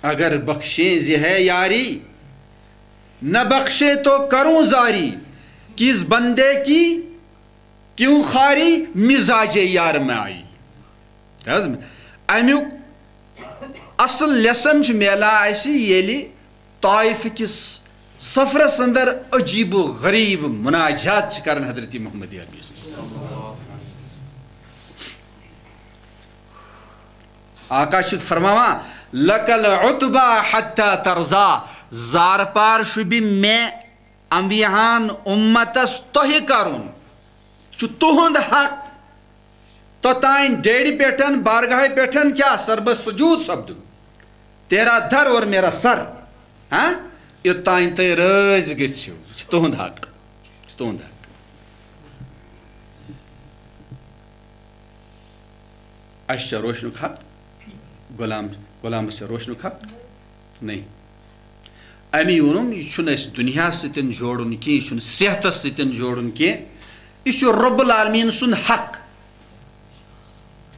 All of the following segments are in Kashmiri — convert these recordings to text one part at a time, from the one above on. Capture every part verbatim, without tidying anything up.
اگر بخشیں زِ ہے یاری، نہ بخشے تو کروں زاری، کس بندے کی کیوں خواری، مزاج یار میں آئی۔ حض، امیُک اصل لیسن چھُ میلان اسہِ ییٚلہِ طائف کِس سفرس اندر عجیب و غریب مناجات چھِ کران حضرت محمد عربی صلی اللہ علیہ وسلم۔ آقا چھُ فرماوان، "لک العتبی حتی ترضی"، زارپار شوٗبہِ مےٚ انبیاہن امتس تۄہہِ کرُن، چھُ تُہُنٛد حق۔ توٚتام ڈیڈِ پٮ۪ٹھ، بارگاہہِ پٮ۪ٹھ کیٛاہ سربس سجود سپدُن، تیرا در اور میرا سر، ہاں، یوٚتام تُہۍ رٲضۍ گٔژھِو، یہِ چھُ تُہُنٛد حق، یہِ چھُ تُہُنٛد حق۔ اَسہِ چھا روشنُک حق؟ غلام، غلامس چھا روشنُک حق؟ نہیں۔ اَمی ووٚنُم، یہِ چھُنہٕ اَسہِ دُنیاہَس سۭتۍ جوڑُن کینٛہہ، یہِ چھُنہٕ صحتَس سۭتۍ جوڑُن کینٛہہ، یہِ چھُ رب العالمین سُنٛد حق۔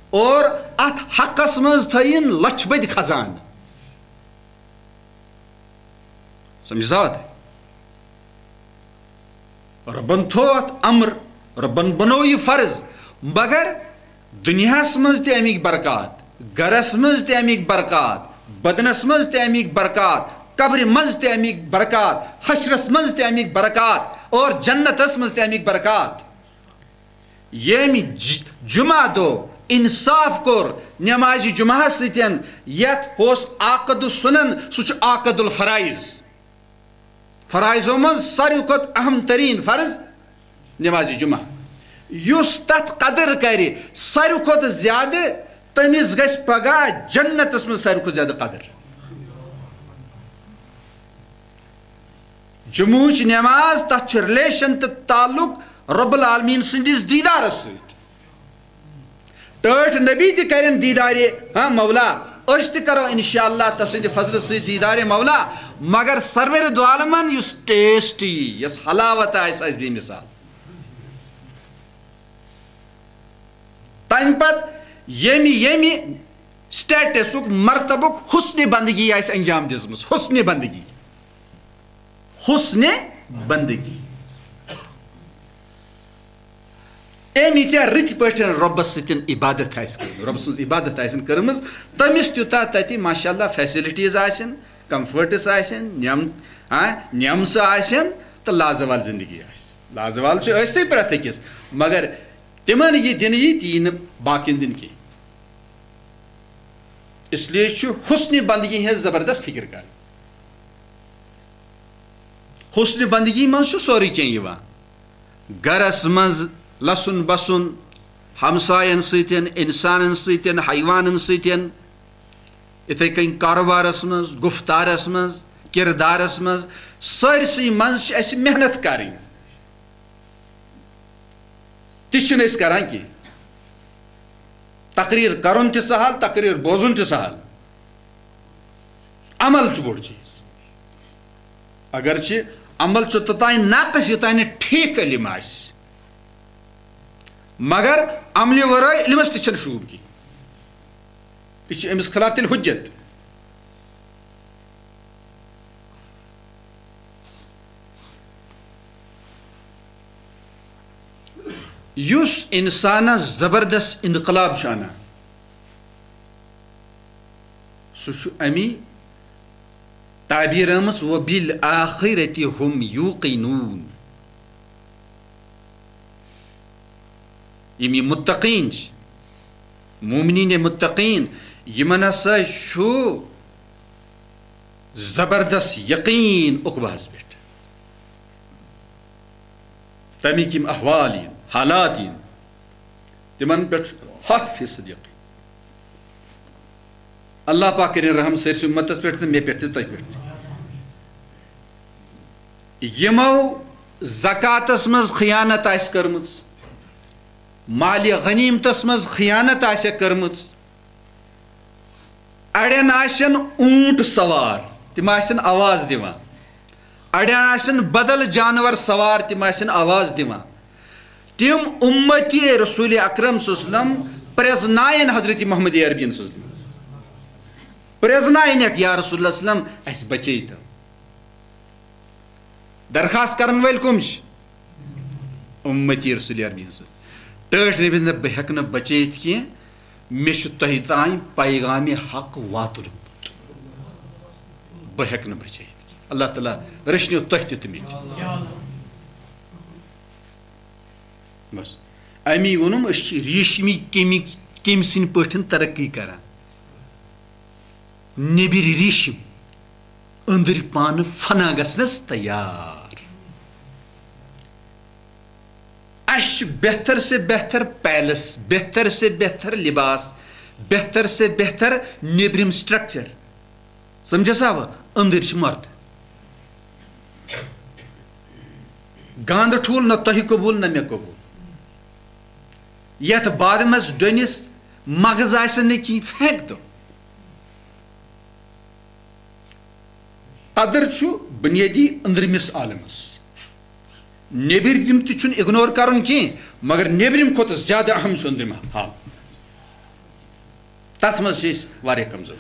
اور اَتھ حقَس منٛز تھٲیِن لَچھ بٔدۍ خزانہٕ۔ سمجھ آو تۄہہِ؟ رۄبن تھوو اتھ امر، رۄبن بنوو یہِ فرض، مگر دُنیاہس منٛز تہِ امِکۍ برکات، گرس منٛز تہِ امِکۍ برکات، بدنس منٛز تہِ امِکۍ برکات، قبرِ منٛز تہِ امِکۍ برکات، حشرس منٛز تہِ امِکۍ برکات اور جنتس منٛز تہِ امِکۍ برکات۔ ییٚمۍ ج-، جمعہ دۄہ انصاف کوٚر نمازِ جمعہ سۭتۍ، یتھ اوس عقد السنن، سُہ چھُ عقد الفرائض۔ فرائضو منٛز ساروی کھۄتہٕ اہم ترین فرض نمازِ جمعہ۔ یُس تتھ قدر کرِ ساروی کھۄتہٕ زیادٕ، تٔمِس گژھِ پگاہ جنتس منٛز ساروی کھۄتہٕ زیادٕ قدر۔ جمعہٕچ نماز، تتھ چھُ ریلیشن تہٕ تعلق رب العالمین سٕنٛدِس دیدارس سۭتۍ۔ ٹٲٹھۍ نبی تہِ کرن دیدارِ، ہاں، مولا۔ أسۍ تہِ کرو انشاءاللہ تسٕنٛدِ فضلہٕ سۭتۍ دیدارِ مولا۔ مگر سرورِ دو عالمن یُس ٹیسٹ یی، یۄس حلاوت آسہِ، آسہِ بے مثال۔ تمہِ پتہٕ ییٚمہِ، ییٚمہِ سٹیٹسُک، مرتبُک حسنِ بندگی آسہِ انجام دِژمٕژ، حسنِ بندگی۔ حسنِ بندگی۔ أمۍ ییٖتیٛاہ رٕتۍ پٲٹھۍ رۄبَس سۭتۍ عبادت آسہِ کٔرمٕژ، رۄبہٕ سٕنٛز عبادت آسن کٔرمٕژ، تٔمِس تیوٗتاہ تَتہِ ماشاء اللہ فیسلٹیٖز آسن، کمفٲرٹٕس آسن، نعم-، ہاں، نعمژٕ آسن تہٕ لازوال زندگی آسہِ۔ لازوال چھِ ٲسۍتھٕے پرٛٮ۪تھ أکِس، مگر تِمن یہِ دِنہٕ یی، تی یی نہٕ باقین دِنہٕ کینٛہہ۔ اس لیے چھُ حسنِ بندگی ہٕنٛز زبردست فکر کرٕنۍ۔ حسنِ بندگی منٛز چھُ سورُے کینٛہہ یِوان۔ گرس منٛز لسُن بسُن، ہمساین سۭتۍ، انسانن سۭتۍ، حیوانن سۭتۍ، یِتھے کٔنۍ کاروبارس منٛز، گفتارس منٛز، کردارس منٛز، سٲرسٕے منٛز چھِ اَسہِ محنت کرٕنۍ۔ تہِ چھِنہٕ أسۍ کران کینٛہہ۔ تقریر کرُن تہِ سہل، تقریر بوزُن تہِ سہل۔ عمل چھُ بوٚڑ چیٖز۔ اگرچہِ عمل چھُ توٚتام ناقص، یوٚتام نہٕ ٹھیٖک علم آسہِ، مگر عملہِ ورٲے علمس تہِ چھَنہٕ شوٗب کینٛہہ۔ یہِ چھُ أمِس خلاف تیٚلہِ حُجت۔ یُس انسانس زبردست انقلاب چھُ انان، سُہ چھُ امی تعبیر آمٕژ، "وبالآخرة هم يوقنون"۔ یِم یہِ متقین چھِ، مومنین متقین، یِمن ہسا چھُ زبردست یقین عقبہس پٮ۪ٹھ۔ تَمِکۍ یِم احوال یِن، حالات یِن، تِمن پٮ۪ٹھ چھُ ہَتھ فیصد یقین۔ اللہ پاک کٔرِن رحم سٲرسٕے اُمتس پٮ۪ٹھ تہٕ مےٚ پٮ۪ٹھ تہِ، تۄہہِ پٮ۪ٹھ تہِ۔ یِمو زکاتس منٛز خیانت آسہِ کٔرمٕژ، مالِ غنیمتس منٛز خیانت آسہِ کٔرمٕژ، اڑٮ۪ن آسن اونٹ سوار، تِم آسن آواز دِوان۔ اڑٮ۪ن آسن بدل جانور سوار، تِم آسن آواز دِوان۔ تِم اُمتی رسول اکرم صلی اللہ علیہ وسلم پرزناین حضرت محمد عربین سٕنٛز۔ پرٛزناونکھ، یا رسول اللہ صلی اللہ علیہ وسلم، اسہِ بچٲیتو۔ درخواست کرن وٲلۍ کم چھِ؟ امتی رسول عربی ہٕنٛز۔ ٹٲٹھۍ نبی دوٚپ، بہٕ ہیٚکہٕ نہٕ بچٲیِتھ کینٛہہ، مےٚ چھُ تۄہہِ تام پیغام حق واتُن۔ بہٕ ہیٚکہٕ نہٕ بچٲیِتھ کینٛہہ۔ اللہ تعالیٰ رٔچھنو تۄہہِ تہِ تہٕ مےٚ تہِ۔ بس۔ امی ووٚنُم، أسۍ چھِ ریشمی کیٚمہِ، کیٚمہِ سٕنٛدۍ پٲٹھۍ ترقی کران۔ نیٚبِرۍ ریشم، أنٛدٕرۍ پانہٕ فنا گژھنس تیار۔ اسہِ چھُ بہتر سے بہتر پیلس، بہتر سے بہتر لباس، بہتر سے بہتر نیٚبرِم structure۔ سمجھس آوا؟ أنٛدٕرۍ چھِ مرد۔ گانٛدٕ ٹھوٗل نہ تۄہہِ قبوٗل نہ مےٚ قبوٗل۔ یتھ بادمس ڈوٚنِس مغز آسہِ نہٕ کینٛہہ، پھینک دو۔ قدر چھُ بنیٲدی أنٛدرمِس عالمس۔ نیٚبرِم تہِ چھُنہٕ ignore کرُن کینٛہہ، مگر نیٚبرِم کھۄتہٕ زیادٕ اہم چھُ أنٛدرِم حال۔ تتھ منٛز چھِ أسۍ واریاہ کمزور۔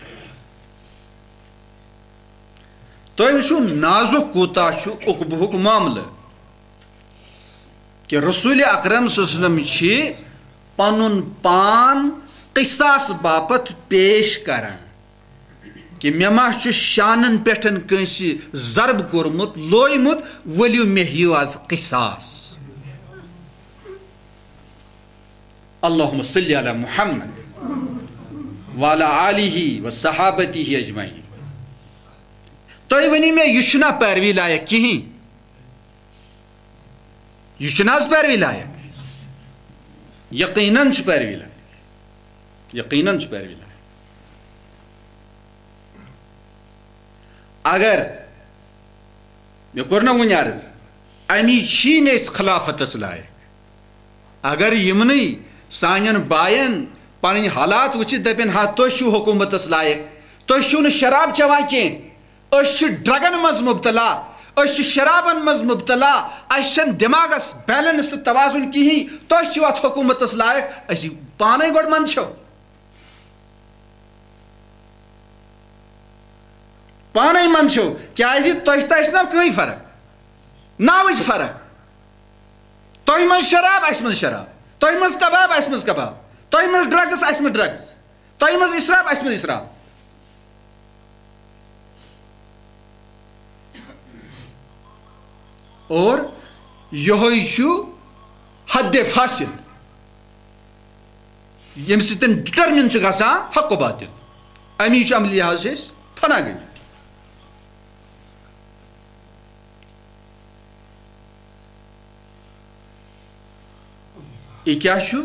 تۄہہِ وٕچھِو نازُک کوٗتاہ چھُ عقبہُک معاملہٕ، کہِ رسول اکرم صلی اللہ علیہ وسلم چھِ پنُن پان قصاص باپتھ پیش کران، کہِ مےٚ ما چھُ شانن پٮ۪ٹھ کٲنٛسہِ ضرب کوٚرمُت، لویمُت، ؤلِو مےٚ ہیٚیِو از قصاص۔ اللہم صلی علی محمد وعلی آلہ و صحابتہ اجمعین۔ تُہۍ ؤنِو مےٚ، یہِ چھُنا پیروی لایق کِہیٖنۍ؟ یہِ چھُنہٕ حظ پیروی لایق؟ یقیناً چھُ پیروی لایق۔ یقیناً چھُ پیروی لایق۔ اگر مےٚ کوٚر نہ وُنہِ عرض، امی چھی نہٕ أسۍ خلافتس لایق۔ اگر یِمنٕے سانٮ۪ن باین پنٕنۍ حالات وٕچھِتھ دپن، ہا، تُہۍ چھِو حکومتس لایق، تُہۍ چھِو نہٕ شراب چٮ۪وان کینٛہہ، أسۍ چھِ ڈرگن منٛز مبتلا، أسۍ چھِ شرابن منٛز مبتلا، اسہِ چھنہٕ دٮ۪ماغس balance تہٕ توازن کِہیٖنۍ، تُہۍ چھِو اتھ حکومتس لایق، أسۍ پانے گۄڈٕ منٛدچھو۔ پانے منٛدچھو، کیازِ تۄہہِ تہٕ اسہِ ناو کٕہٕنۍ فرق، ناوٕچ فرق۔ تۄہہِ منٛز شراب، اسہِ منٛز شراب، تۄہہِ منٛز کباب، اسہِ منٛز کباب، تۄہہِ منٛز drugs، اسہِ منٛز drugs، تۄہہِ منٛز اسراف، اسہِ منٛز اسراف۔ اور یہوے چھُ حد فاصل، ییٚمہِ سۭتۍ determine چھُ گژھان حق و باطل۔ امی چھُ عملی لحاظ چھِ أسۍ فنا گٔمٕتۍ۔ یہِ کیٛاہ چھُ؟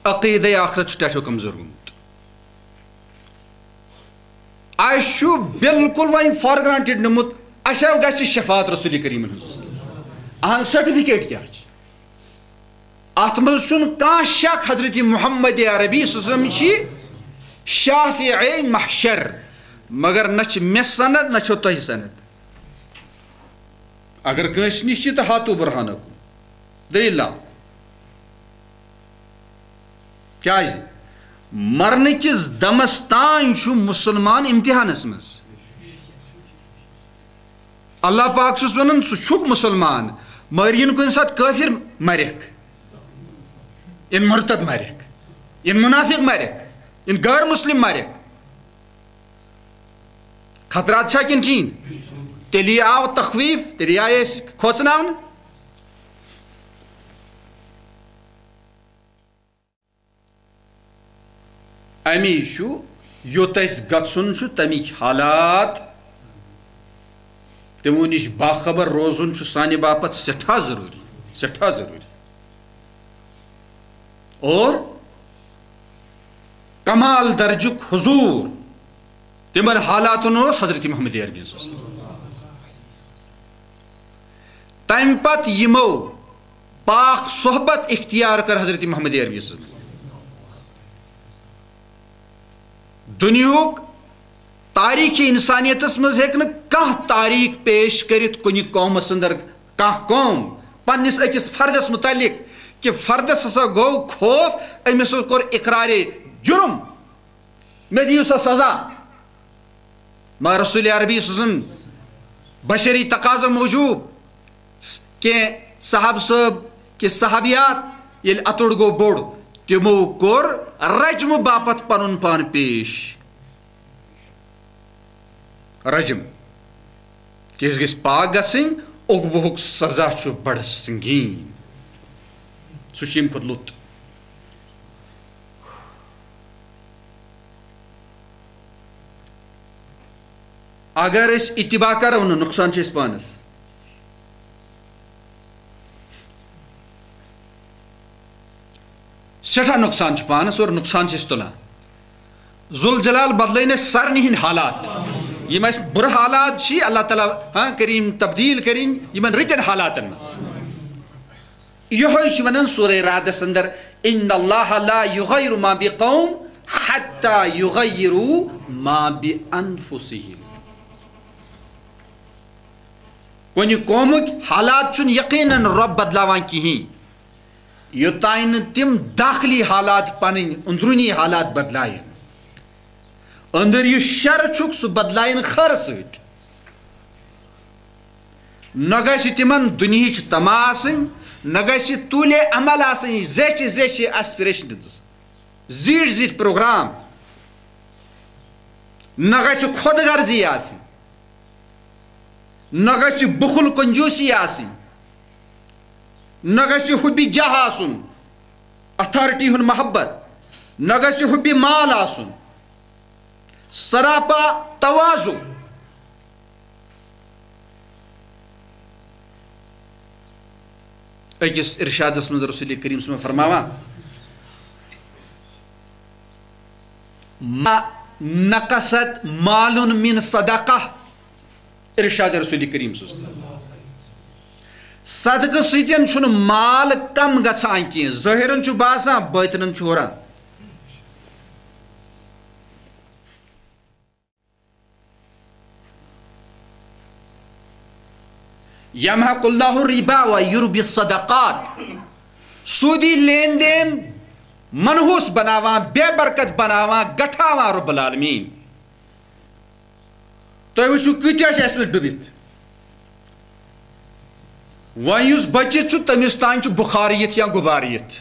عقیدے آخرت چھُ ٹٮ۪ٹھو کمزور گوٚمُت۔ اسہِ چھُ بالکل وۄنۍ for granted نیومُت، اسہِ ہا گژھِ شفاعت رسول کریمن ہٕنٛز۔ اہن، certificate کیٛاہ چھِ؟ اتھ منٛز چھُنہٕ کانٛہہ شک، حضرت محمد عربی صلی اللہ علیہ وسلم چھِ شافع محشر، مگر نہ چھِ مےٚ سند، نہ چھو تۄہہِ سند۔ اگر کٲنٛسہِ نِش چھِ، تہٕ ہاتو برہانکم۔ دٔلیٖل لاو۔ کیٛازِ؟ مرنہٕ کِس دمس تام چھُ مسلمان امتحانس منٛز۔ اللہ پاک چھُس ونان، ژٕ چھُکھ مسلمان، مگر یِن کُنہِ ساتہٕ کٲفر، مرکھ۔ یِن مرتد، مرکھ۔ یِن منافق، مرکھ۔ یِن غٲر مسلم، مرکھ۔ خطرات چھا کِنہٕ کِہیٖنۍ؟ تیٚلی آو تخویف، تیٚلی آیہِ أسۍ کھوژناونہٕ۔ امی چھُ، یوٚت اَسہِ گژھُن چھُ، تَمِکۍ حالات، تِمو نِش باخبر روزُن چھُ سانہِ باپتھ سٮ۪ٹھاہ ضروٗری، سٮ۪ٹھاہ ضروٗری۔ اور کمال درجُک حضور، تِمن حالاتن اوس حضرت محمد عربی صلی اللہ علیہ وسلم۔ تمہِ پتہٕ یِمو پاک صحبت اختیار کٔر حضرت محمد عربی صلی اللہ علیہ وسلم۔ دُنیہُک تاریخ انسانیتس منٛز ہیٚکہِ نہٕ کانٛہہ تاریخ پیش کٔرِتھ کُنہِ قومس اندر کانٛہہ قوم پننِس أکِس فردس متعلق کہِ فردس ہسا گوٚو خوف، أمِس کوٚر اقرارِ جُرم، مےٚ دِیِو سا سزا۔ مگر رسول عربی سٕنٛز بشری تقاضہٕ موٗجوٗب کینٛہہ صحابہٕ صٲب کہِ صحابیات ییٚلہِ اَتُر گوٚو بوٚڑ، تِمو کوٚر رجمہٕ باپتھ پنُن پان پیش۔ رجم، کہِ أسۍ گٔژھۍ پاک گژھٕنۍ، عقوبہُک سزا چھُ بڑٕ سنگین۔ سُہ چھُ ییٚمہِ کھۄتہٕ لوٚت۔ اگر أسۍ اتباع کرو نہٕ، نۄقصان چھُ اَسہِ پانس۔ سٮ۪ٹھاہ نۄقصان چھُ پانس اور نۄقصان چھِ أسۍ تُلان۔ ذوالجلال بدلٲیِن اَسہِ سارنٕے ہٕنٛدۍ حالات۔ یِم اَسہِ بُرٕ حالات چھِ، اللہ تعالیٰ، ہاں، کریم تبدیل کرِن یِمن رٕتٮ۪ن حالاتن منٛز۔ یِہوٚے چھُ وَنان سورہ رعدس اندر، "ان اللہ لا یغیر ما بقوم حتی یغیروا ما بانفسہم۔" کُنہِ قومٕکۍ حالات چھُنہٕ یقیناً رۄب بدلاوان کِہیٖنۍ، یوٚتام نہٕ تِم داخلی حالات، پنٕنۍ أنٛدروٗنی حالات بدلایَن۔ أنٛدٕرۍ یُس شر چھُکھ، سُہ بدلایَن خٲرٕ سۭتۍ۔ نہ گژھِ تِمن دُنیہٕچ تما آسٕنۍ، نہ گژھِ طولِ امل آسٕنۍ، زیچھِ زیچھِ aspirations، زیٖٹھۍ زیٖٹھۍ پروگرام۔ نہ گژھِ خۄد غرضی آسٕنۍ، نہ گژھِ بُخل کنجوٗسی آسٕنۍ، نہ گژھِ حُبِ جاہ آسُن، اتھارٹی ہُنٛد محبت، نہ گژھِ حُبِ مال آسُن، سراپا تواضع۔ أکِس ارشادس منٛز رسول کریم صلی اللہ علیہ وسلم فرماوان، "ما نقصت مال من صدقہ"، ارشاد رسول کریم صلی اللہ علیہ وسلم۔ صدقہٕ سۭتۍ چھُنہٕ مال کم گژھان کینٛہہ، ظٲہِرن چھُ باسان، باطنن چھُ ہُران۔ یمحق اللہ الربا و یربی الصدقات۔ سودی لین دین منحوس بناوان، بے برکت بناوان، گٹھاوان رب العالمین۔ تُہۍ وٕچھِو کۭتیاہ چھِ اَسہِ منٛز ڈُبِتھ۔ وۄنۍ یُس بٔچِتھ چھُ، تٔمِس تام چھُ بُخار یِتھ یا غُبار یِتھ۔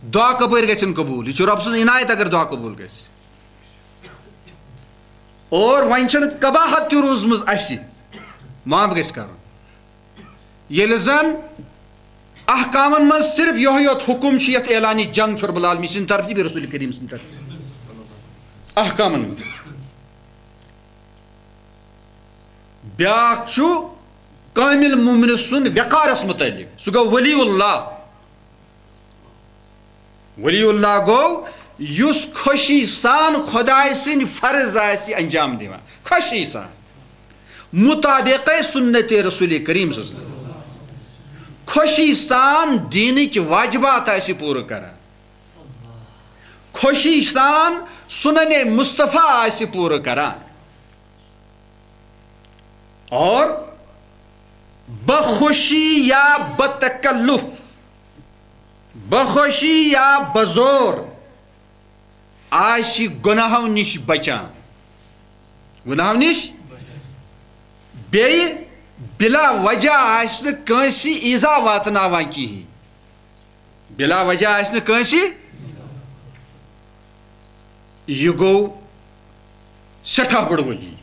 دُعا کَپٲرۍ گژھن قبوٗل؟ یہِ چھُ رۄب سٕنٛز عنایت اگر دُعا قبوٗل گژھِ۔ اور وۄنۍ چھَنہٕ قباحت تہِ روٗزمٕژ اَسہِ، معاف گژھِ کَرُن۔ ییٚلہِ زَن احکامَن منٛز صرف یِہوٚے یوت حُکُم چھُ، یَتھ اعلانِ جنگ چھُ رب العالمین سٕنٛدِ طرفہٕ تہِ بیٚیہِ رسول کریم سٕنٛدِ طرفہٕ احکامَن منٛز۔ بیٛاکھ چھُ کامل مومن سُنٛد وقارَس مُتعلق، سُہ گوٚو ولی اللہ۔ ولی اللہ گوٚو یُس خوشی سان خۄداے سٕنٛدۍ فرض آسہِ انجام دِوان، خوشی سان، مطابق سنت رسول کریم صلی اللہ علیہ وسلم، خوشی سان دینٕکۍ واجبات آسہِ پوٗرٕ کران، خوشی سان سنن مصطفیٰ آسہِ پوٗرٕ کران۔ اور بخوشی یا بتکلف، بخوشی یا بزور آسہِ گۄناہو نِش بچان، گۄناہو نِش، بیٚیہِ بلا وجہ آسہِ نہٕ کٲنٛسہِ ایٖزا واتناوان کِہیٖنۍ۔ بلا وجہ آسہِ نہٕ کٲنٛسہِ، یہِ گوٚو سٮ۪ٹھاہ بوٚڑ ولی،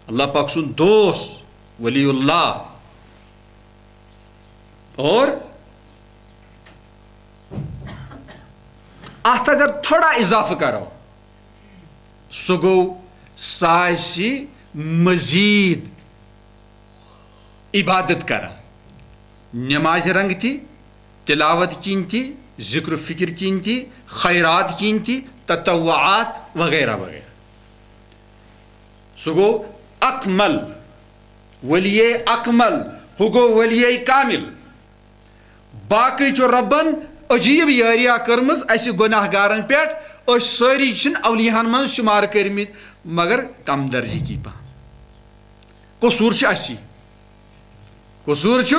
اللہ پاک سُنٛد دوست، ولی اللہ۔ اور اتھ اگر تھوڑا اضافہٕ کرو، سُہ گوٚو، سُہ آسہِ مزید عبادت کران، نمازِ رنگ تہِ، تلاوت کِنۍ تہِ، ذکر و فکر کِنۍ تہِ، خیرات کِنۍ تہِ، تطوعات وغیرہ وغیرہ۔ سُہ گوٚو اکمل، ولی اکمل، ہُہ گوٚو ولی کامل۔ باقٕے چھُ رۄبن عجیٖب یٲریا کٔرمٕژ اَسہِ گۄناہ گارن پٮ۪ٹھ۔ أسۍ سٲری چھِنہٕ اولیاہن منٛز شُمار کٔرمٕتۍ، مگر کم درجہٕ کی پہم۔ قصوٗر چھُ اَسی، قصوٗر چھُ۔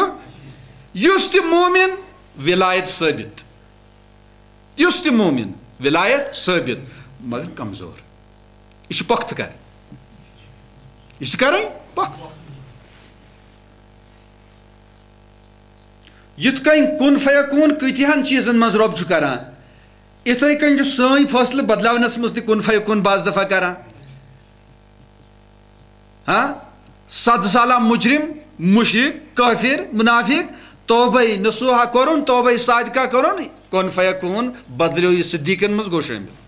یُس تہِ مومن ولایت ثٲبت، یُس تہِ مومن ولایت ثٲبت، مگر کمزور۔ یہِ چھُ پۄختہٕ کرٕنۍ۔ یہِ چھِ کرٕنۍ پۄختہٕ۔ یِتھ کٔنۍ کُن فیکون کۭتیاہن چیٖزن منٛز رۄب چھُ کران، یِتھے کٔنۍ چھُ سٲنۍ فٲصلہٕ بدلاونس منٛز تہِ کُن فیکون بعض دفعہ کران۔ ہاں، صد سالہ مجرم، مشرک، کافر، منافق، توبہ نصوحہ کرُن، توبہ صادقہ کرُن، کُن فیکون بدلیو، یہِ صدیقن منٛز گوٚو شٲمِل۔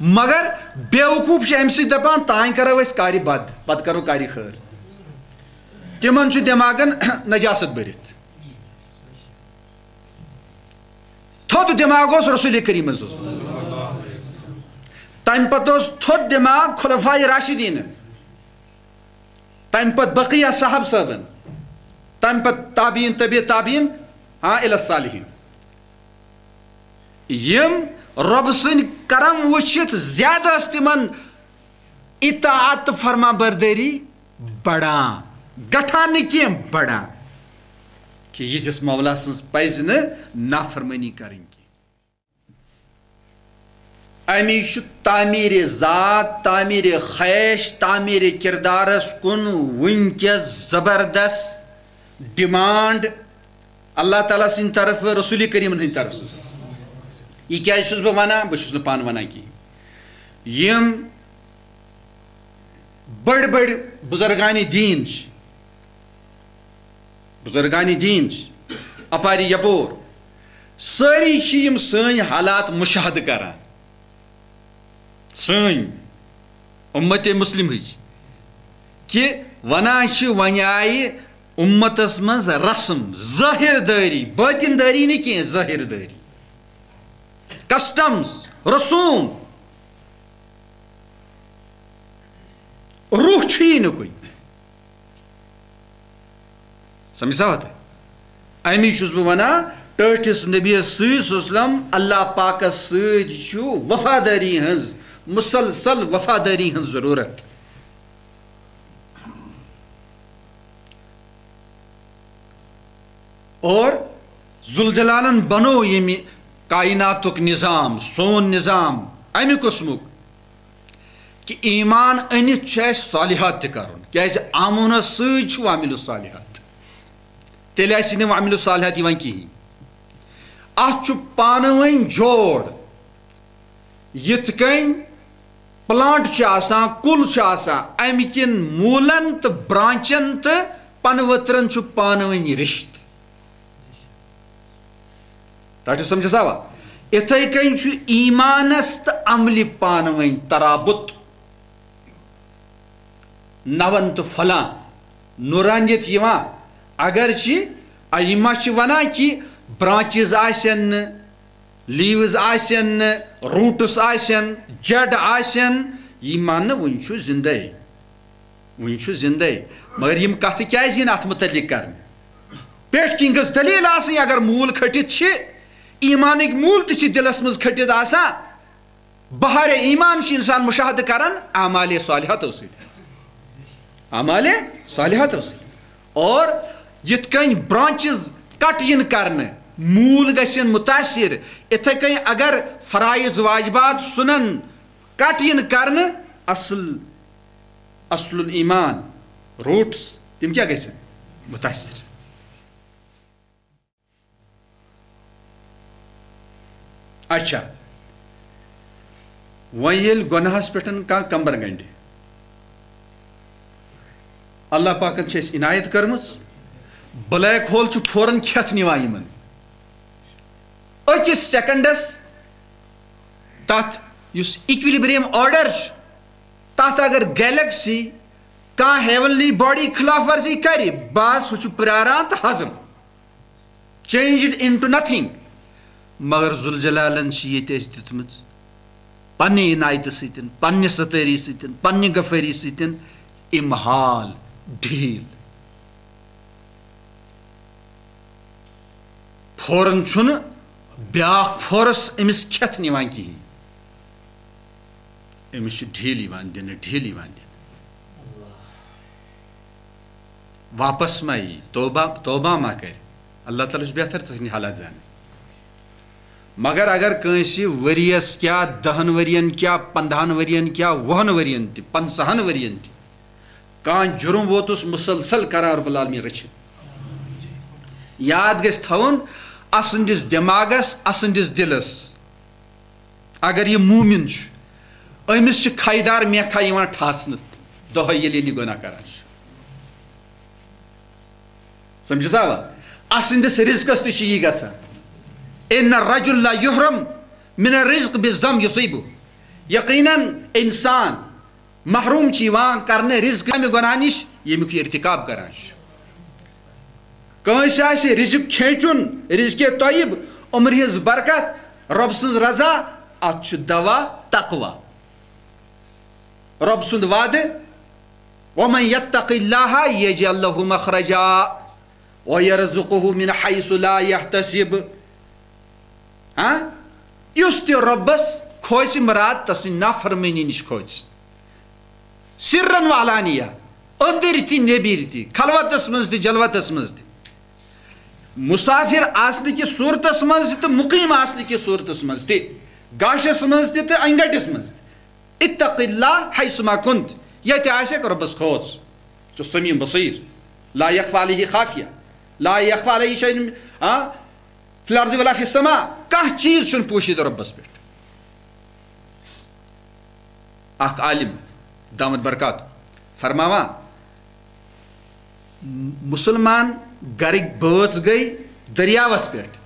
مگر بیوقوف چھِ اَمہِ سۭتۍ دَپان، تانۍ کَرو أسۍ کارِ بد، پَتہٕ کَرو کارِ خٲر۔ تِمَن چھُ دٮ۪ماغَن نجاست بٔرِتھ۔ تھوٚد دٮ۪ماغ اوس رسول کریٖمَس اوس۔ تَمہِ پَتہٕ اوس تھوٚد دٮ۪ماغ خلفاء راشدیٖنَن۔ تَمہِ پَتہٕ بقیہ صاحب صٲبَن۔ تَمہِ پَتہٕ تابعین، تبع تابعین، ہاں، الی الصالحین۔ یِم رۄب سٕنٛدۍ کرم وٕچھِتھ زیادٕ ٲس تِمن اطاعت تہٕ فرما بردٲری بڑان، گٹھان نہٕ کینٛہہ، بڑان۔ کہِ یِتھِس مولا سٕنٛز پزِ نہٕ نافرمٲنی کرٕنۍ کینٛہہ۔ اَمی چھُ تعمیٖرِ ذات، تعمیٖرِ خیش، تعمیٖرِ کردارس کُن وٕنکیٚس زبردست ڈیمانڈ اللہ تعالیٰ سٕنٛدِ طرفہٕ، رسول کریٖمن ہٕنٛدِ طرفہٕ۔ یہِ کیٛازِ چھُس بہٕ ونان؟ بہٕ چھُس نہٕ پانہٕ ونان کینٛہہ۔ یِم بٔڑۍ بٔڑۍ بزرگانِ دیٖن چھِ، بزرگانِ دیٖن چھِ اپارِ یپور، سٲری چھِ یِم سٲنۍ حالات مشاہدٕ کران۔ سٲنۍ اُمتِ مسلمٕچ، کہِ ونان چھِ، وۄنۍ آیہِ اُمتس منٛز رسم، ظٲہِر دٲری، بٲطِن دٲری نہٕ کینٛہہ، ظٲہِر دٲری، کسٹمز، رسوم، روح چھُیی نہٕ کُنہِ۔ سمجھ سا وتھ؟ امی چھُس بہٕ ونان، ٹٲٹھِس نبیَس سۭتۍ صلی اللہ علیہ وسلم، اللہ پاکس سۭتۍ چھُ وفادٲری ہٕنٛز، مسلسل وفادٲری ہٕنٛز ضروٗرت۔ اور ذوالجلالن بنوو ییٚمہِ کائناتُک نظام، سون نظام، امہِ قٕسمُک، کہِ ایمان أنِتھ چھُ اَسہِ صالحات تہِ کرُن، کیازِ آمنس سۭتۍ چھُ وعمل الصالحات۔ تیٚلہِ آسہِ نہٕ وعمل الصالحات یِوان کِہیٖنۍ۔ اَتھ چھُ پانہٕ ؤنۍ جوڑ، یِتھ کٔنۍ پلانٹ چھُ آسان، کُل چھُ آسان، اَمہِ کِنۍ موٗلن تہٕ برانچن تہٕ پنہٕ ؤترن چھُ پانہٕ ؤنۍ رِشتہٕ۔ رٹِو سمجھس آوا؟ اِتھے کٔنۍ چھُ ایمانس تہٕ عملہِ پانہٕ ؤنۍ ترابط۔ نون تہٕ پھۄلان، نورانیت یِوان۔ اگرچہِ ائمہ چھِ ونان کہِ برانچز آسن نہٕ، لیوز آسن نہٕ، روٗٹس آسن، جڑ آسن، یہِ ماننہٕ وُنہِ چھُ زندے، وُنہِ چھُ زندے۔ مگر یِم کتھٕ کیازِ یِن اتھ متعلق کرنہٕ؟ پٮ۪ٹھ کِنۍ گٔژھ دلیل آسٕنۍ۔ اگر موٗل کھٔٹِتھ چھِ، ایمانٕکۍ موٗل تہِ چھِ دِلس منٛز کھٔٹِتھ آسان۔ بہار ایمان چھُ انسان مشاہدٕ کران اعمال صالحاتو سۭتۍ، اعمال صالحاتو سۭتۍ۔ اور یِتھ کٔنۍ برانچز کٹ یِن کرنہٕ، موٗل گژھن متاثر، اِتھے کٔنۍ اگر فرائض واجبات سنن کٹ یِن کرنہٕ، اصل، اصل الایمان، روٹس، تِم کیٛاہ گژھن؟ متاثر۔ اچھا، وۄنۍ ییٚلہِ گۄناہس پٮ۪ٹھ کانٛہہ کمبر گنڈِ، اللہ پاکن چھِ اَسہِ عنایت کٔرمٕژ، بلیک ہول چھُ فوراً کھٮ۪تھ نِوان یِمن۔ أکِس سیکنڈس تتھ یُس equilibrium order چھُ، تتھ اگر گیلیکسی کانٛہہ ہیونلی باڈی خلاف ورزی کرِ، بس ہُہ چھُ پراران تہٕ ہضم، changed into nothing۔ مگر ذوالجلالن چھِ ییٚتہِ اَسہِ دیُتمٕژ پننہِ عنایتہٕ سۭتۍ، پننہِ ستٲری سۭتۍ، پننہِ غفٲری سۭتۍ امہال، ڈھیٖل۔ فوراً چھُنہٕ بیٛاکھ فورس أمِس کھٮ۪تھ نِوان کِہیٖنۍ۔ أمِس چھِ ڈھیٖل یِوان دِنہٕ، ڈھیٖل یِوان دِنہٕ۔ واپس ما یی، توبہ، توبہ ما کرِ؟ اللہ تعالیٰ چھُ بہتر تسٕنٛدۍ حالات زانان۔ مگر اگر کٲنٛسہِ ؤریَس کیٛاہ، دَہَن ؤرِین کیٛاہ، پنٛداہَن ؤرِین کیٛاہ، وُہَن ؤرِین تہِ، پنٛژاہَن ؤرِین تہِ کانٛہہ جُرُم ووتُس مُسلسل کران رب العالمین رٔچھِتھ۔ یاد گژھِ تھاوُن، اسٕنٛدِس دٮ۪ماغس، اسٕنٛدِس دِلس، اگر یہِ مومِن چھُ، أمِس چھِ کھے دار میکھا یِوان ٹھاسنہٕ دۄہے ییٚلہِ ییٚلہِ یہِ گۄناہ کران چھُ۔ سمجھِ سا؟ اسٕنٛدِس رِزقس تہِ چھُ یی گژھان۔ ان الرجل لا یحرم من الرزق بالذنب یصیبہ۔ یقیناً انسان محروم چھُ یِوان کرنہٕ رِزقہٕ امہِ گۄناہ نِش، ییٚمیُک یہِ ارتکاب کران چھُ۔ کٲنٛسہِ آسہِ رِزق کھینچُن، رِزقِ طیب، عمرِ ہٕنٛز برکت، رۄب سٕنٛز رضا، اتھ چھُ دوا تقوی۔ رۄب سُنٛد وعدٕ، ومن یتق اللہ یجعل لہ مخرجا ویرزقہ من حیث لا یحتسب۔ ہاں؟ یُس تہِ رۄبس کھوژِ، مراد تسٕنٛدِ نافرمٲنی نِش کھوژِ، سرن و علانیہ، أنٛدٕرۍ تہِ نیٚبٕرۍ تہِ، خلوتس منٛز تہِ جلوتس منٛز تہِ، مسافر آسنہٕ کِس صورتس منٛز تہِ تہٕ مُقیم آسنہٕ کِس صورتس منٛز تہِ، گاشس منٛز تہِ تہٕ انگٹس منٛز تہِ۔ اتق اللہ حیثما کنت، ییٚتہِ آسکھ رۄبس کھوژ۔ چھُ سمیع بصیر، لا یخفی علیہ خافیہ، لا یخفی علیہ شیء، ہاں، فی الارض ولا فی السماء، کانٛہہ چیٖز چھُنہٕ پوٗشِتھ رۄبس پٮ۪ٹھ۔ اکھ عالم دامت برکات فرماوان، مُسلمان گرٕکۍ بٲژ گٔے دٔریاوس پٮ۪ٹھ۔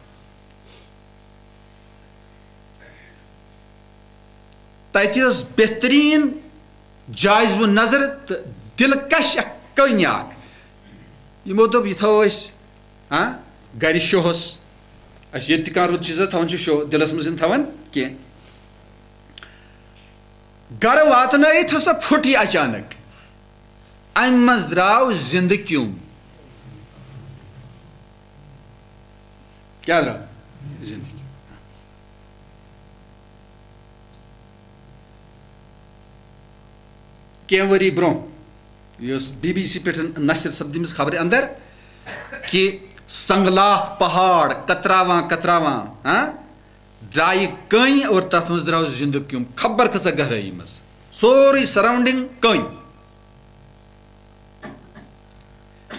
تتہِ ٲس بہتریٖن جایز و نظر تہٕ دلکش اکھ کٔنۍ اکھ۔ یِمو دوٚپ، یہِ تھاوو أسۍ، ہاں، گرِ شوہس۔ اَسہِ ییٚتہِ تہِ کانٛہہ رُت چیٖزا تھاوان چھُ شوہ دِلس منٛز، یِم تھاوان کینٛہہ۔ گرٕ واتنٲیِتھ ہسا پھُٹ یہِ اچانک۔ امہِ منٛز درٛاو زِندٕ کیوٚم۔ کیٛاہ درٛاو؟ زِندٕ کیوٚم۔ کینٛہہ ؤری برٛونٛہہ یۄس بی بی سی پٮ۪ٹھ نشر سپدمٕژ خبرِ اندر کہِ سنگلاخ پہاڑ کتراوان کتراوان، ہاں، درٛایہِ کٔنۍ اور تتھ منٛز درٛاو زِندٕ کیوٚم، خبر کۭژاہ گہرٲیی منٛز، سورُے سراونڈنگ کٔنۍ۔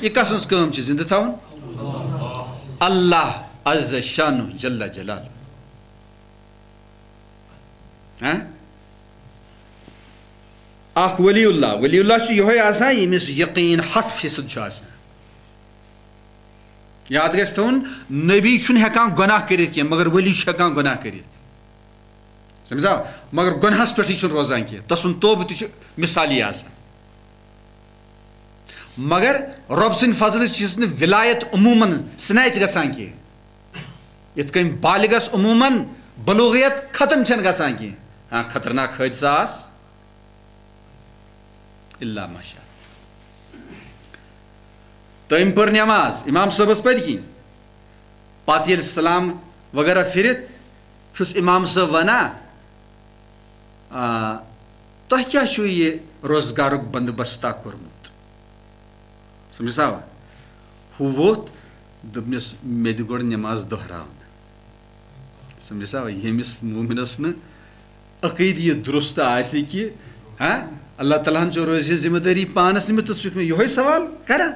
یہِ کس سٕنٛز کٲم چھِ زِندٕ تھاوُن؟ اللہ عز شانہ جل جلالہ۔ ہاں؟ اکھ ولی اللہ، ولی اللہ چھُ یِہوٚے آسان ییٚمِس یقیٖن ہتھ فیصد چھُ آسان۔ یاد گژھِ تھاوُن، نبی چھُنہٕ ہٮ۪کان گۄناہ کٔرِتھ کینٛہہ، مگر ولی چھُ ہٮ۪کان گۄناہ کٔرِتھ۔ سمجھا؟ مگر گۄناہس پٮ۪ٹھٕے چھُنہٕ روزان کینٛہہ، تسُنٛد توبہٕ تہِ چھُ مثالی آسان۔ مگر رۄب سٕنٛدِ فضلہٕ چھِس نہٕ ولایت عموماً snatch گژھان کینٛہہ۔ یِتھ کٔنۍ بالغس عموماً بلوغیت ختم چھنہٕ گژھان کینٛہہ۔ ہاں، خطرناک حٲدثہٕ آس، الا ماشاء اللہ۔ تٔمۍ پٔر نٮ۪ماز امام صٲبس پٔتۍ کِنۍ۔ پتہٕ ییٚلہِ سلام وغیرہ پھِرِتھ چھُس امام صٲب ونان، آ، تۄہہِ کیٛاہ چھُو یہِ روزگارُک بندوبستہ کوٚرمُت؟ سمجھسا؟ ہُہ ووٚتھ، دوٚپنَس، "مےٚ دِ گۄڈٕ نٮ۪ماز دۄہراونہٕ۔" سمجھسا؟ ییٚمِس مومنس نہٕ عقیدٕ یہِ درست آسہِ کہِ، ہاں، اللہ تعالیٰ ہن چھُ روزِ ذمہ دٲری پانس نِمٕژ، تہٕ سُہ چھُ مےٚ یِہوٚے سوال کران۔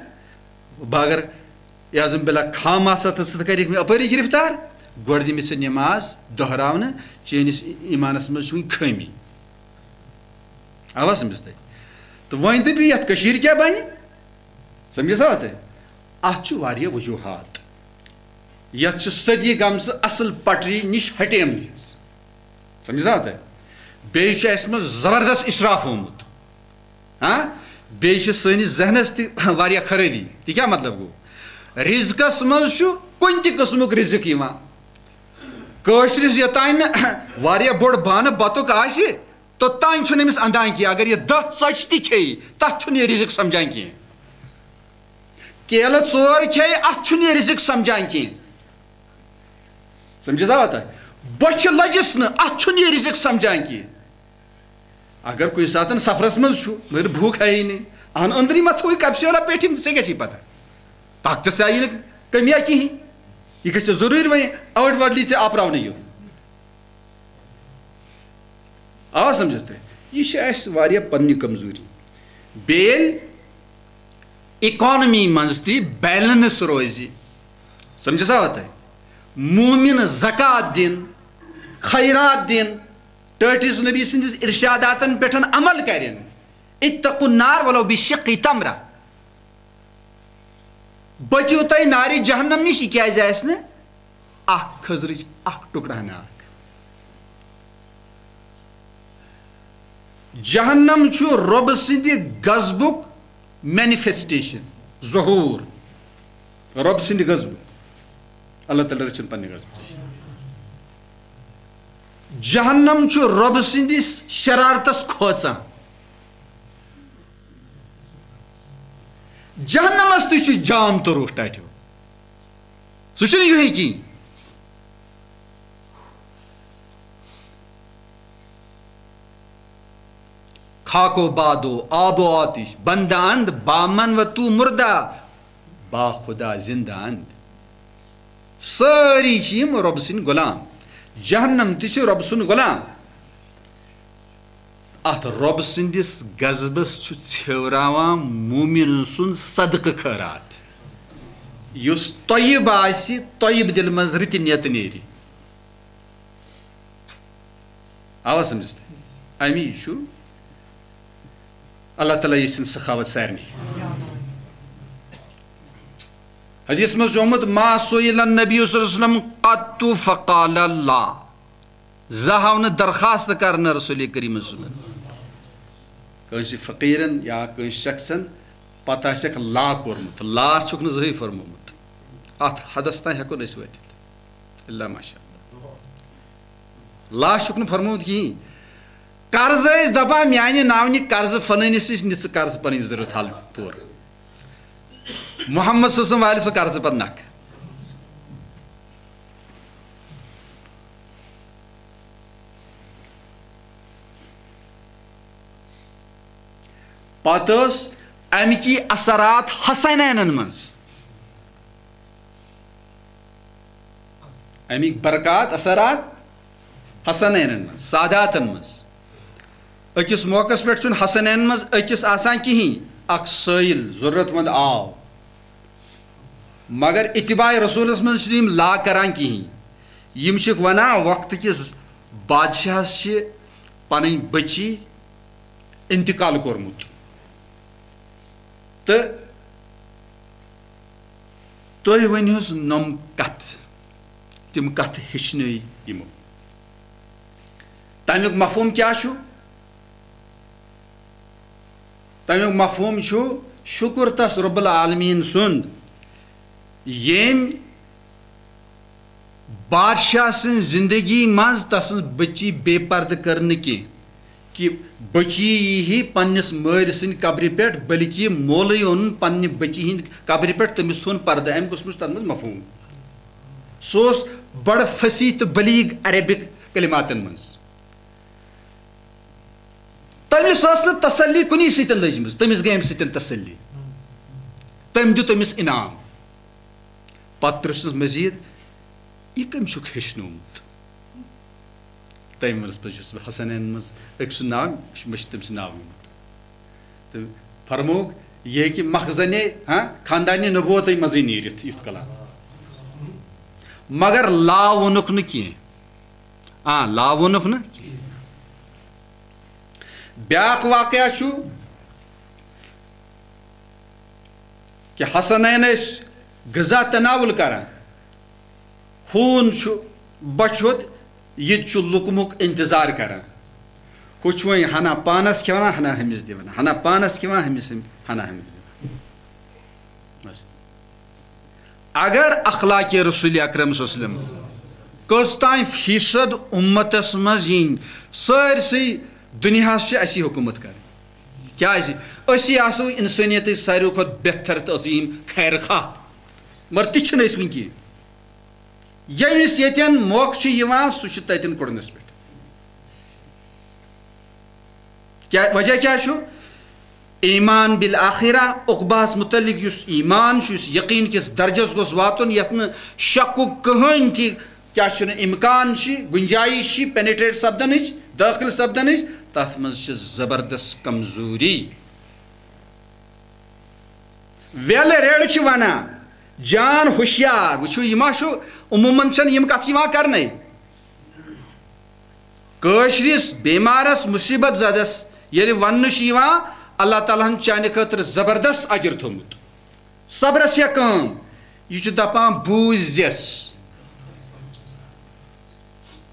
بہٕ اگر اعظم باللہ خام آسہٕ ہا تہٕ ژٕ تہِ کَرِکھ مےٚ اَپٲری گِرفتار، گۄڈٕ دِ مےٚ ژٕ نٮ۪ماز دۄہراونہٕ، چٲنِس ایٖمانَس منٛز چھِ وٕنہِ خٲمی۔ آوا سمجھ تۄہہِ؟ تہٕ وۄنۍ دٔپِو، یَتھ کٔشیٖرِ کیٛاہ بَنہِ؟ سمجھِ سا تۄہہِ؟ اَتھ چھِ واریاہ وجوٗہات۔ یَتھ چھِ صدی گٔمژٕ اَصٕل پٹری نِش ہٹیمٕژ۔ سمجھِ سا تۄہہِ؟ بیٚیہِ چھُ اَسہِ منٛز زبردست اِسراف آمُت۔ ہاں؟ بیٚیہِ چھِ سٲنِس ذہنَس تہِ واریاہ خرٲبی۔ تہِ کیٛاہ مطلب گوٚو؟ رِزقَس منٛز چھُ کُنہِ تہِ قٕسمُک رِزق یِوان۔ کٲشرِس یوٚتانۍ نہٕ واریاہ بوٚڑ بانہٕ بَتُک آسہِ، توٚتانۍ چھُنہٕ أمِس اَندان کینٛہہ۔ اگر یہِ دَہ ژۄچہِ تہِ کھیٚیہِ، تَتھ چھُنہٕ یہِ رِزق سَمجھان کینٛہہ۔ کیلہٕ ژور کھیٚیہِ، اَتھ چھُنہٕ یہِ رِزق سَمجھان کینٛہہ۔ سَمجھِ سا تۄہہِ؟ بۄچھِ لٔجِس نہٕ، اَتھ چھُنہٕ یہِ رِزق سَمجھان کینٛہہ۔ اگر کُنہِ ساتہٕ سفرس منٛز چھُ، مگر بھوٗک ہیی نہٕ، اہن أنٛدری ما تھوٚوُے کپسیولا پیٹھِم، ژےٚ کیٛاہ چھے پتہ؟ طاقتس آیی نہٕ کٔمی کینٛہہ، یہِ گژھِ ضروٗری وۄنۍ outwardly ژےٚ آپراونہٕ یُن۔ آ، سمجھس تۄہہِ؟ یہِ چھِ اَسہِ واریاہ پننہِ کمزوری۔ بیٚیہِ ییٚلہِ اکانمی منٛز تہِ بیلنس روزِ، سمجھس آوا تۄہہِ؟ مومن زکوٰۃ دِن، خیرات دِن، ٹٲٹھِس نبی سٕنٛدِس ارشاداتن پٮ۪ٹھ عمل کرن، اتقوا النار ولو بشق تمرہ، بٔچِو تُہۍ نارِ جہنم نِش۔ یہِ کیٛازِ آسہِ نہٕ اکھ کھٔزرٕچ اکھ ٹُکڑٕ ہنا اکھ؟ جہنم چھُ رۄبہٕ سٕنٛدِ غضبُک مینیفیسٹیشن، ظہوٗر۔ رۄبہٕ سٕنٛدِ غضبُک۔ اللہ تعالیٰ رٔچھِن پننہِ غضبہٕ نِش۔ جہنم چھُ رۄبہٕ سٕنٛدِس شرارتس کھوژان۔ جہنمس تہِ چھُ جان تہٕ روح ٹاٹھیو۔ سُہ چھُنہٕ یِہوٚے کِہیٖنۍ۔ خاک و باد و آب و آتش، بندہ اند، با من و تو مردہ، با خدا زندہ اند۔ سٲری چھِ یِم رۄب سٕنٛدۍ غلام۔ جہنم تہِ چھِ رۄب سُنٛد غلام۔ اتھ رۄب سٕنٛدِس غضبس چھُ ژھیوراوان مومن سُنٛد صدقہٕ خٲرات۔ یُس طیب آسہِ، طیب دِلہِ منٛز رٕتہِ نیتہٕ نیرِ۔ آوا سمجھس تۄہہِ؟ امی چھُ اللہ تعالیٰ یژھِن سخاوت سارنٕے۔ حدیث منٛز چھُ آمُت، ما سئل النبی صلی اللہ علیہ وسلم قط فقال لا۔ زانٛہہ آو نہٕ درخواست کرنہٕ رسول کریم صلی اللہ علیہ وسلم کٲنٛسہِ فقیرن یا کٲنٛسہِ شخصن، پتہٕ آسٮ۪کھ لا کوٚرمُت۔ لا چھُکھ نہٕ زٕہٕے فرمومُت۔ اتھ حدس تام ہٮ۪کو نہٕ أسۍ وٲتِتھ۔ الا ماشاء اللہ۔ لا چھُکھ نہٕ فرمومُت کِہیٖنۍ۔ قرض ٲسۍ دپان، میانہِ ناونہِ قرض فلٲنِس نِش نہِ ژٕ قرض پنٕنۍ ضروٗرت حل پوٗرٕ۔ محمد صلی اللہ علیہ وسلم والہِ سُہ قرضہٕ پتہٕ نکھٕ۔ پتہٕ ٲس امکی اثرات حسنینن منٛز۔ اَمِکۍ برکات، اثرات حسنینن منٛز، ساداتن منٛز۔ أکِس موقعس پٮ۪ٹھ چھُنہٕ حسنینن منٛز أکِس آسان کِہیٖنۍ، اکھ سٲیِل، ضروٗرت مند آو۔ مگر اتباع رسولس منٛز چھِنہٕ یِم لا کران کِہیٖنۍ۔ یِم چھِکھ ونان، وقتہٕ کِس بادشاہس چھِ پنٕنۍ بٔچی انتقال کوٚرمُت۔ تہٕ تُہۍ ؤنِوس نۄم کتھ، تِم کتھ ہیٚچھنٲے یِمو۔ تمیُک مفہوم کیٛاہ چھُ؟ تمیُک مفہوم چھُ، شُکر تس رب العالمین سُنٛد، ییٚمۍ بادشاہ سٕنٛز زندگی منٛز تسٕنٛز بچی بے پردٕ کٔر نہٕ کینٛہہ، کہِ بچی یی ہے پننِس مٲلۍ سٕنٛدِ قبرِ پٮ۪ٹھ، بلکہِ مولٕے اوٚنُن پننہِ بچی ہٕنٛدِ قبرِ پٮ۪ٹھ، تٔمِس تھوٚون پردٕ۔ امہِ قٕسمُک چھُ تتھ منٛز مفہوم۔ سُہ اوس بڑٕ فصیح تہٕ بلیغ عربک کلماتن منٛز۔ تٔمِس ٲس نہٕ تسلی کُنی سۭتۍ لٔجمٕژ، تٔمِس گٔے امہِ سۭتۍ تسلی۔ تٔمۍ دیُت أمِس انعام۔ پتہٕ پرٛژھنَس مزید، "یہِ کٔمۍ چھُکھ ہیٚچھنومُت؟" تٔمۍ ووٚنُس، "بہٕ چھُس حسنین منٛز أکۍ سُنٛد ناو، مےٚ چھُ تٔمۍ سُنٛد ناو نِمُت۔" تہٕ فرمووُکھ، "یہِ ہیٚکہِ مخزنِ، ہاں، خاندانِ نبوتٕے منٛزٕے نیٖرِتھ یُتھ کلام۔" مگر لا ووٚنُکھ نہٕ کینٛہہ۔ آ، لا ووٚنُکھ نہٕ کینٛہہ۔ بیٛاکھ واقعہ چھُ، کہِ حسنین ٲسۍ غذا تناول کران۔ ہوٗن چھُ بۄچھِ ہوٚت، یہِ تہِ چھُ لُکمُک انتظار کران۔ ہُہ چھُ وۄنۍ ہنا پانس کھٮ۪وان، ہنا ہُمِس دِوان، ہنا پانس کھٮ۪وان، ہُمِس، ہنا ہُمِس دِوان۔ بس۔ اگر اخلاق رسول اکرم صلی اللہ علیہ وسلم کٔژ تام فیصد امتس منٛز یِن، سٲرسٕے دُنیاہس چھِ اسی حکومت کرٕنۍ۔ کیازِ؟ أسی آسو انسٲنیتٕچ ساروی کھۄتہٕ بہتر تہٕ عظیٖم خیر خواہ، مگر تہِ چھِنہٕ أسۍ وٕنہِ کینٛہہ۔ ییٚمِس ییٚتٮ۪ن موقعہٕ چھُ یِوان، سُہ چھُ تَتٮ۪ن کُڑنَس پٮ۪ٹھ۔ کیٛاہ وجہ کیٛاہ چھُ؟ ایمان بالآخرہ، عقبہس متعلق یُس ایمان چھُ، یُس یقین کِس درجس گوٚژھ واتُن، یتھ نہٕ شکُک کٕہٕنۍ تہِ، کیٛاہ چھُنہٕ، امکان چھِ، گنجائش چھِ penetrate سپدنٕچ، دٲخل سپدنٕچ، تَتھ منٛز چھِ زبردست کمزوری۔ ویل ریڈ چھِ ونان، جان ہوشیار، وٕچھِو، یہِ ما چھُ، عموٗماً چھَنہٕ یِم کَتھٕ یِوان کرنَے۔ کٲشرِس بیمارس، مصیبت زدس ییٚلہِ وننہٕ چھُ یِوان، اللہ تعالیٰ ہن چانہِ خٲطرٕ زبردست اجر تھوٚومُت۔ صبرس چھےٚ کٲم، یہِ چھُ دپان، بوٗززٮ۪س۔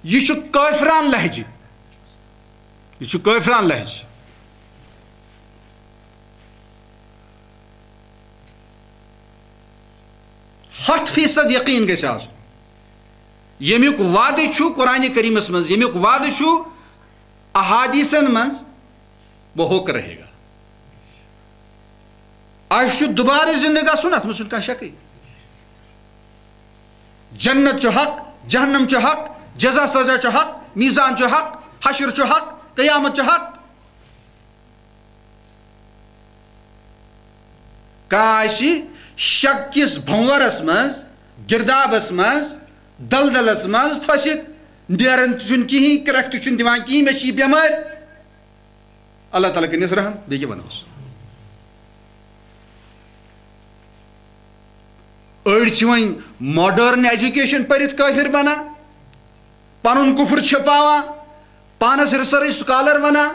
یہِ چھُ کٲفران لہجہِ، یہِ چھُ کٲفران لہجہِ۔ ہَتھ فیصد یقین گژھِ آسُن۔ ییٚمیُک وعدٕ چھُ قرآنِ کریٖمَس منٛز، ییٚمیُک وعدٕ چھُ احادیثن منٛز، وہ ہو کر رہے گا۔ اَسہِ چھُ دُبارٕ زِندٕ گژھُن، اَتھ منٛز چھُنہٕ کانٛہہ شکٕے۔ جنت چھُ حق، جہنم چھُ حق، جزا سزا چھُ حق، میزان چھُ حق، حشر چھُ حق، قیامت چھُ حق۔ کانٛہہ آسہِ شک کِس بھنورس منٛز، گردابس منٛز، دلدلس منٛز پھٔسِتھ، نیران تہِ چھُنہٕ کِہیٖنۍ، کرٛٮ۪کھ تہِ چھُنہٕ دِوان کِہیٖنۍ، مےٚ چھِ یہِ بٮ۪مٲرۍ۔ اللہ تعالیٰ کٔرِنَس رحم، بیٚیہِ کیٛاہ وَنوس؟ أڑۍ چھِ وۄنۍ modern education پٔرِتھ کٲفِر بَنان، پَنُن کُفُر چھِپاوان، پانَس research scholar وَنان،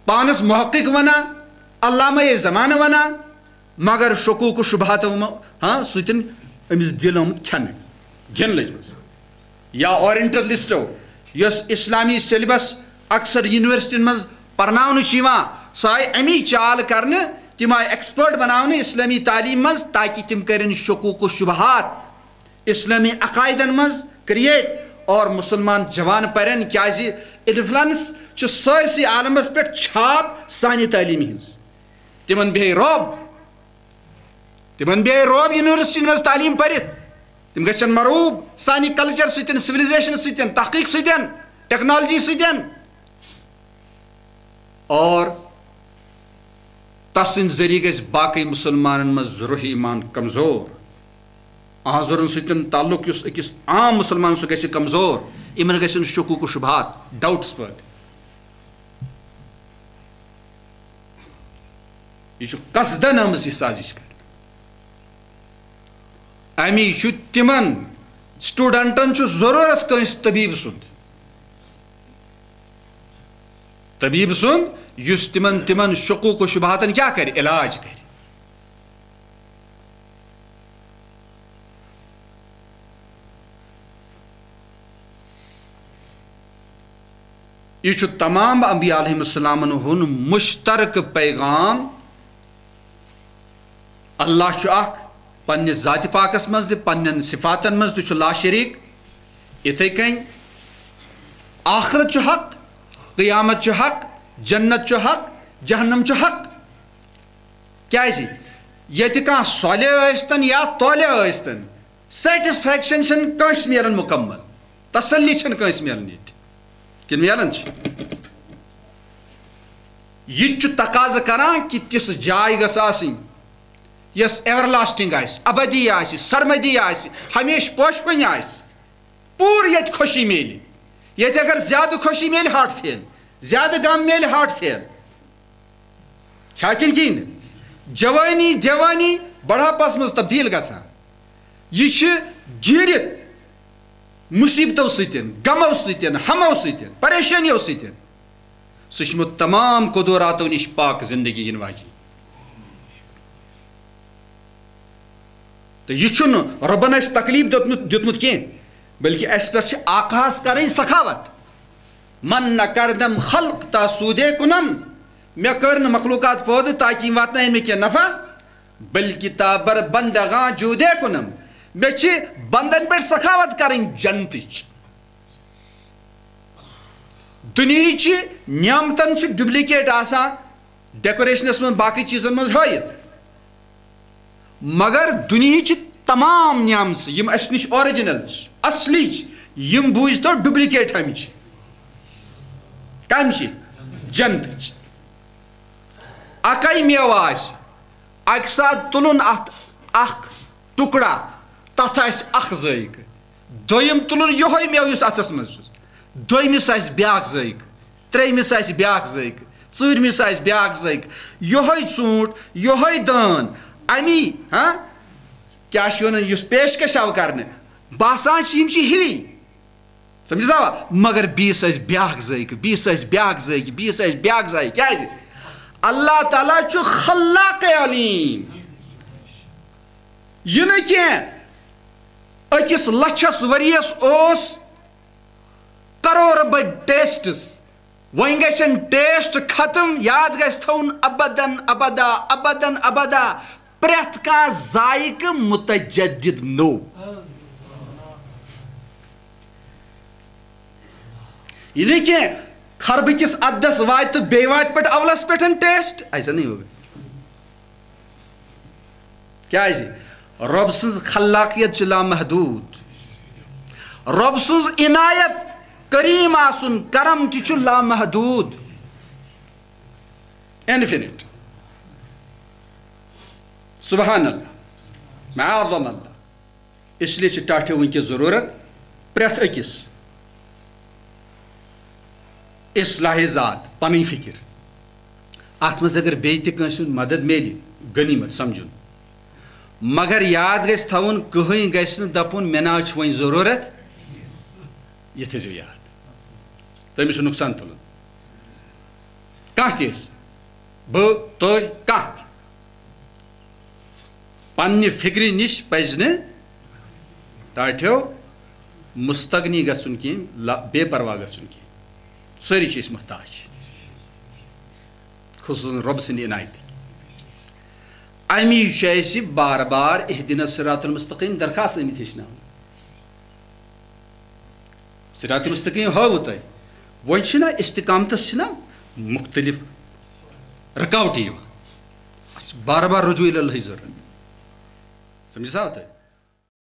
پانَس محقق وَنان، علامہ زمانہٕ وَنان، مگر شکوک و شبہاتو مہ-، ہاں، سۭتۍ أمِس دِل آمُت کھٮ۪نہٕ، گِنٛدنہٕ لٔجمٕژ۔ یا اورینٹلسٹو، یۄس اسلامی syllabus اکثر یونیورسٹین منٛز پرناونہٕ چھِ یِوان، سۄ آیہِ امی چال کرنہٕ، تِم آیہِ expert بناونہٕ اسلامی تعلیٖم منٛز، تاکہِ تِم کرن شکوک و شبہات اسلامی عقائدن منٛز create اور مسلمان جوان پرن، کیازِ influence چھُ سٲرسٕے عالمس پٮ۪ٹھ چھاپ سانہِ تعلیٖمہِ ہٕنٛز۔ تِمن بیٚہہِ رعب، تِمن بیٚہہِ رعب یونیورسٹی منٛز تعلیٖم پٔرِتھ۔ تِم گژھن مرعوب سانہِ culture سۭتۍ، civilization سۭتۍ، تحقیق سۭتۍ، technology سۭتۍ۔ اور تسٕنٛدِ ذٔریعہٕ گژھِ باقٕے مُسلمانن منٛز روح ایمان کمزور۔ آزرن سۭتۍ تعلق یُس أکِس عام مُسلمان، سُہ گژھِ کمزور۔ یِمن گژھن شکوک و شبہات، doubts پٲدٕ۔ یہِ چھُ قصدن آمٕژ یہِ سازش کرنہٕ۔ امی چھُ تِمن studentن چھُ ضروٗرت کٲنٛسہِ طبیب سُنٛد۔ طبیب سُنٛد، یُس تِمن، تِمن شکوک و شبہاتن کیٛاہ کرِ؟ علاج کرِ۔ یہِ چھُ تمام انبیاء علیہم السلامن ہُنٛد مشترکہٕ پیغام۔ اللہ چھُ اکھ، پننہِ ذاتِ پاکس منٛز تہِ، پننٮ۪ن صفاتن منٛز تہِ چھُ لا شریک۔ یِتھے کٔنۍ آخرت چھُ حق، قیامت چھُ حق، جنت چھُ حق، جہنم چھُ حق۔ کیازِ؟ ییٚتہِ کانٛہہ صالح ٲسۍتن یا طالح ٲسۍتن، satisfaction چھَنہٕ کٲنٛسہِ میلان مُکمل، تسلی چھَنہٕ کٲنٛسہِ میلان ییٚتہِ۔ کِنہٕ میلان چھِ؟ یہِ تہِ چھُ تقاضہٕ کران کہِ تِژھ جاے گٔژھ آسٕنۍ، یۄس everlasting آسہِ، ابدی آسہِ، سرمدی آسہِ، ہمیشہٕ پوشہِ پنہِ آسہِ۔ پوٗرٕ ییٚتہِ خوشی میلہِ۔ ییٚتہِ اگر زیادٕ خوشی میلہِ، heart fail، زیادٕ غم میلہِ، heart fail۔ چھا کِنہٕ کِہیٖنۍ نہٕ؟ جوٲنی، دیوٲنی، بڑھاپس منٛز تبدیٖل گژھان۔ یہِ چھِ گیٖرِتھ مُصیبتو سۭتۍ، غمو سۭتۍ، ہمو سۭتۍ، پریشٲنیو سۭتۍ۔ سُہ چھُ یِمو تمام قدوراتو نِش پاک زندگی یِنہٕ واجیٚنۍ۔ تہٕ یہِ چھُنہٕ رۄبن اَسہِ تکلیٖف دیُتمُت، دیُتمُت کینٛہہ، بلکہِ اَسہِ پٮ۪ٹھ چھِ آقاہس کرٕنۍ سخاوت۔ من نہ کردم خلق تا سودے کنم، مےٚ کٔر نہٕ مخلوقات پٲدٕ تاکہِ یِم واتناون مےٚ کینٛہہ نفع، بلکہِ تا بر بندگاں جودے کنم، مےٚ چھِ بندن پٮ۪ٹھ سخاوت کرٕنۍ جنتٕچ۔ دُنیہٕچہِ نعمتن چھِ duplicate آسان، decorationس منٛز، باقٕے چیٖزن منٛز ہٲیِتھ۔ مگر دُنیہٕچہِ تمام نعمژٕ، یِم اَسہِ نِش original چھِ، اصلی چھِ، یِم بوٗزتو duplicate ہمچہِ۔ کمچہِ؟ جنتٕچ۔ اکے میوٕ آسہِ، اکہِ ساتہٕ تُلُن اتھ اکھ ٹُکڑا، تتھ آسہِ اکھ ذٲیقہٕ۔ دوٚیِم تُلُن یِہوٚے میوٕ یُس اتھس منٛز چھُ۔ دوٚیمِس آسہِ بیٛاکھ ذٲیقہٕ، ترٛیٚیمِس آسہِ بیٛاکھ ذٲیقہٕ، ژوٗرمِس آسہِ بیٛاکھ ذٲیقہٕ۔ یِہوٚے ژوٗنٛٹھ، یِہوٚے دٲن، اَمی، ہاں، کیٛاہ چھِ وَنان، یُس پیشکش آو کرنہٕ، باسان چھِ یِم چھِ ہِوی۔ سمجھِ سا؟ مگر بیٚیِس آسہِ بیٛاکھ ذٲیقہٕ، بیٚیِس آسہِ بیٛاکھ ذٲیقہٕ، بیٚیِس آسہِ بیٛاکھ ذٲیقہٕ۔ کیٛازِ؟ اللہ تعالیٰ چھُ خلاق علیم۔ یہِ نہٕ کینٛہہ، أکِس لَچھَس ؤریَس اوس کَرورٕ بٔدۍ ٹیسٹٕس، وۄنۍ گژھن ٹیسٹ ختم، یاد گژھِ تھاوُن ابدن ابدا، ابدن ابدا، پرٛٮ۪تھ کانٛہہ ذائقہٕ متجدد نوٚو۔ یہِ نہٕ کینٛہہ، خربہٕ کِس عددس واتہِ تہٕ بیٚیہِ واتہِ پٮ۪ٹھ اولس پٮ۪ٹھ ٹیسٹ، ایسا نہیں ہوگا۔ کیازِ؟ رۄب سٕنٛز خلاقیت چھِ لامحدوٗد۔ رۄب سٕنٛز عنایت، کریم آسُن، کرم تہِ چھُ لامحدوٗد، انفینٹ۔ سبحان اللہ، معاذ اللہ۔ اس لیے چھِ ٹاٹھیو وٕنکیٚس ضروٗرت پرٛٮ۪تھ أکِس اصلاح ذات، پنٕنۍ فکر۔ اتھ منٛز اگر بیٚیہِ تہِ کٲنٛسہِ ہُنٛد مدد میلہِ، غنیمت سمجھُن۔ مگر یاد گژھِ تھاوُن، کٕہٕنۍ گژھِ نہٕ دپُن، "مےٚ نہ حظ چھُ وۄنۍ ضروٗرت"۔ یہِ تھٲیزیو یاد۔ تٔمِس چھُ نۄقصان تُلُن۔ کانٛہہ تہِ ٲسۍ، بہٕ، تُہۍ، کانٛہہ تہِ۔ پننہِ فکرِ نِش پزِ نہٕ ٹاٹھیو مستغنی گژھُن کینٛہہ، لا-، بے پرواہ گژھُن کینٛہہ۔ سٲری چھِ أسۍ محتاج، خصوصاً رۄب سٕنٛدِ عنایتٕکۍ۔ امی چھُ اَسہِ بار بار اہدنا الصراط المستقیم درخواست آمٕتۍ ہیٚچھناونہٕ۔ صراط مستقیم ہٲوٕ تۄہہِ۔ وۄنۍ چھِنہ استقامتس چھِنہ مختلف رکاوٹہٕ یِوان۔ اَتھ چھِ بار بار رجوع الی اللہٕچ ضروٗرت۔ سمجھ سا تۄہہِ؟